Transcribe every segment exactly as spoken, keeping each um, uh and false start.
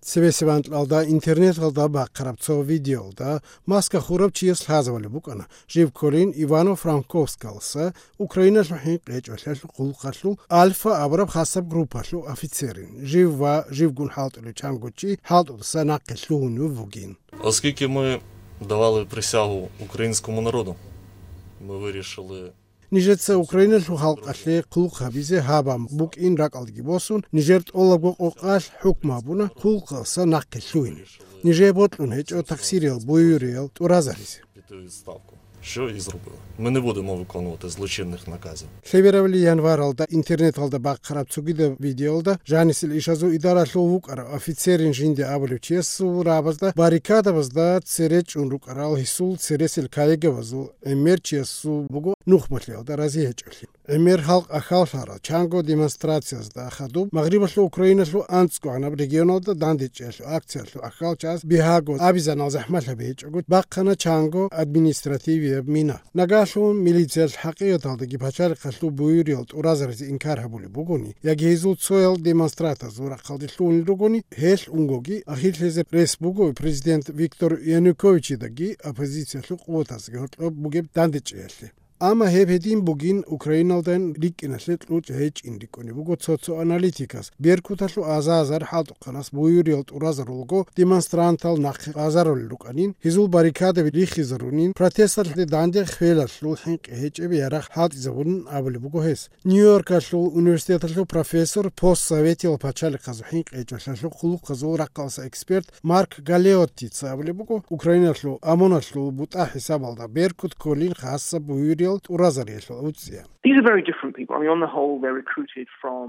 Цебесеб анкьалда интернеталда бахъараб цо видеолда маска хураб чияс лъазабулеб букӀана, жив кколин Ивано-Франковскалса Украиналъул хӀинкъичӀолъиялъул хъулухъалъул Альфа абураб хасаб группалъул офицерин. Жив ва живгун хӀалтӀулев чанго чи хӀалтӀудаса нахъе лъугьунев вугин. Оскільки ми давали присягу українському народу, ми вирішили. Нижеца Украиналъул халкъалъе хъулухъ гьабизе гьаб бан букӀин ракӀалдеги босун, нижер тӀолабго къокъалъ хӀукму гьабуна хъулухъалса нахъе лъугьине. Нижее бокьун гьечӀо таксириял буюриял тӀуразаризе. Піти у відставку. Що і зробили. Ми не будемо виконувати злочинних наказів. Лъеберабали январалда интернеталда бахъараб цогидаб видеолда жанисел ишазул идаралъул вукӀарав офицерин жинде абулев чиясул рабазда баррикадабазда цере чӀун рукӀарал гьесул цересел коллегабазул гӀемер чиясул буго нухмалъиялда рази гьечӀолъи. ГӀемер халкъ ахьаллъарал чанго демонстрациязда хадуб Магърибалъул Украиналъул анцӀгогӀанаб регионалда дандечӀеялъул акциялъул ахьал час бигьаго абизанал захӀмалъаби гьечӀого бахъана чанго административияб мина. Нагагьлъун милициялъ хӀакъикъаталдаги пачалихъалъул буюриял тӀуразаризе инкар гьабулеб бугони, яги гьезул цоял демонстратазул рахъалде лъугьунел ругони, гьелъ унгоги ахирлъизе рес буго президент Виктор Януковичидаги оппозициялъул къуватаздаги гьоркьоб бугеб дандечӀеялъе. Амма гьеб гьедин бугин Украиналдайин рикӀкӀиналъе кьучӀ гьечӀин рикӀкӀунеб буго цо-цо аналитикас. Беркуталъул азар-азар хӀалтӀухъанас буюриял тӀуразарулго демонстрантал нахъе азарулел рукӀанин, гьезул баррикадаби рихизарунин, протесталъе данде хвелалъул хӀинкъи гьечӀеб ярагъ хӀалтӀизабунин абулеб буго гьес. Нью-Йоркалъул университеталъул профессор, постсоветиял пачалихъазул хӀинкъи гьечӀолъиялъул хъулухъазул рахъалъа эксперт Марк Галеоттица абулеб буго, Украиналъул ОМОНалъул бутӀа хӀисабалда беркут кколин хасаб буюриял тӀуразариялъул уцӀцӀиян. These are very different people. I mean, on the whole, they're recruited from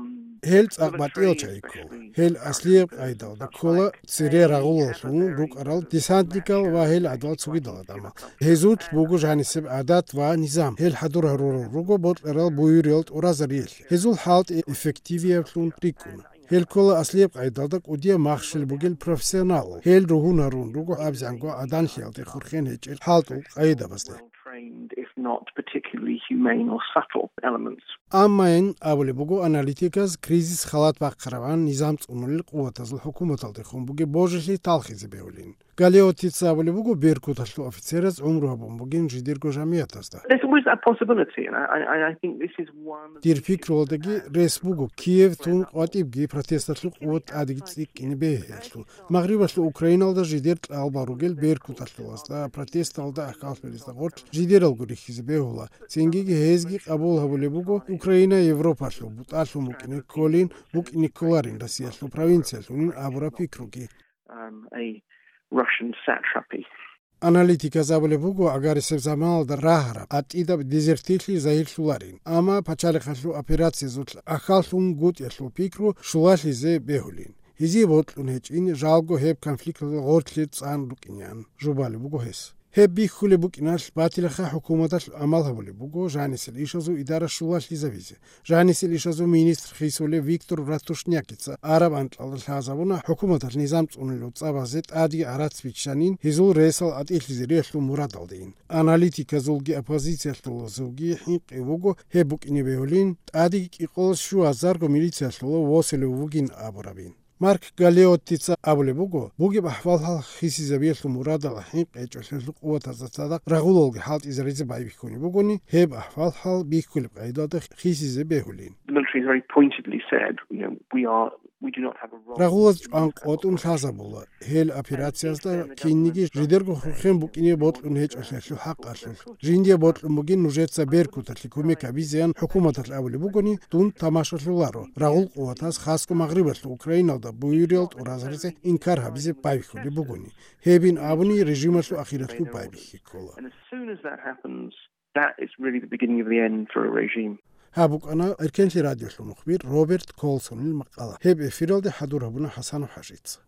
Гьел цӀакъ батӀиял чагӀи ккола. Гьел аслияб къайдалда ккола цере рагъулаллъун рукӀарал десантникал ва гьел гӀадал цогидал гӀадамал. Гьезулъ буго жанисеб гӀадат ва низам. Гьел хӀадур гьарурал руго бокьарал буюриял тӀуразариялъе. Гьезул хӀалтӀи эффективиявлъун рикӀкӀуна. Гьел ккола аслияб къайдалда кӀудияб махщел бугел профессионал. Гьел ругьун гьарун руго абзанго гӀаданлъиялде хурхен гьечӀел хӀалтӀул къайдабазде. Well trained, if not particularly humane or subtle elements. Амма ин абулеб буго аналитиказ, кризис халат бахъараван низам цӀунулел къуватазул хӀукуматалдехун бугеб божилъи талхизе бегьулин. Галеоттица абулеб буго, беркуталъул офицераз гӀумру гьабун бугин жидерго жамиятазда. There's always that possibility, and I, I, I think this is one of Дир пикруялдаги рес буго, Киев тун къватӀибги протесталъул къуват тӀадеги цӀикӀкӀине бегьиялъул. Магърибалъул Украиналда жидер кьалбал ругел беркуталъулазда, протесталда ахӀаллъулезда гъорлъ жидералго рихьизе бегьула. Цингиги гьезги къабул гьабулеб буго, Украина Европалъул бутӀалъун букӀине кколин, букӀине кколарин Россиялъул провинциялъунин абураб пикруги. Um, a Russian satrapy. Аналитиказ абулеб буго, агарисеб заманалда рагьараб, гӀатӀидаб дезертирлъи загьирлъуларин, амма пачалихъалъул операциязулъ ахьаллъун гутӀиялъул пикру щулалъизе бегьулин. Гьезие бокьун гьечӀин, жалго гьеб конфликталда гъорлъе цӀан рукӀинеян, жубалеб буго гьес. Гьеб бихьулеб букӀиналъ батилаха хӀукуматалъ гӀамал гьабулеб буго жанисел ишазул идара щулалъизабизе. Жанисел ишазул министр хисулев Виктор Ратушнякица араб анкьалда лъазабуна хӀукуматалъ низам цӀунулев цӀабазе тӀаде гӀарац биччанин, гьезул ресал гӀатӀилъизе риялъул мурадалдейин. Аналитиказулги оппозициялъулазулги хӀинкъи вуго гьеб букӀине бегьулин, тӀадеги кӀикъоялда щуазарго милициялъула восулев вугин абурабин. Марк Галеоттица абулеб буго, бугеб ахӀвал-хӀал хисизабиялъул мурадалда хӀинкъи гьечӀолъиялъул къуватазда цадахъ рагъулалги хӀалтӀизаризе байбихьунеб бугони, гьеб ахӀвал-хӀал бихьулеб къайдалда хисизе бегьулин. The military has very pointedly said, you know, we are, we do not have a role. Рагъулаз чӀван къотӀун лъазабула, гьел операциязда кинниги жидерго хурхен букӀине бокьун гьечӀолъиялъул хӀакъалъулъ. Жиндие бокьун бугин нужеца беркуталъе кумек гьабизеян хӀукуматалъ абулеб бугони, дун тамашалъуларо, рагъул къуватаз хасго Магърибалъул Украиналда буюриял тӀуразаризе инкар гьабизе байбихьулеб бугони. Гьебин абуни режималъул ахиралъул байбихьи ккола. And as soon as that happens, that is really the beginning of the end for a regime. Гьаб букӀана Эркенлъи радиолъул мухбир Роберт Колсонил макъала. Гьеб эфиралде хӀадур гьабуна ХӀасанов ХӀажица.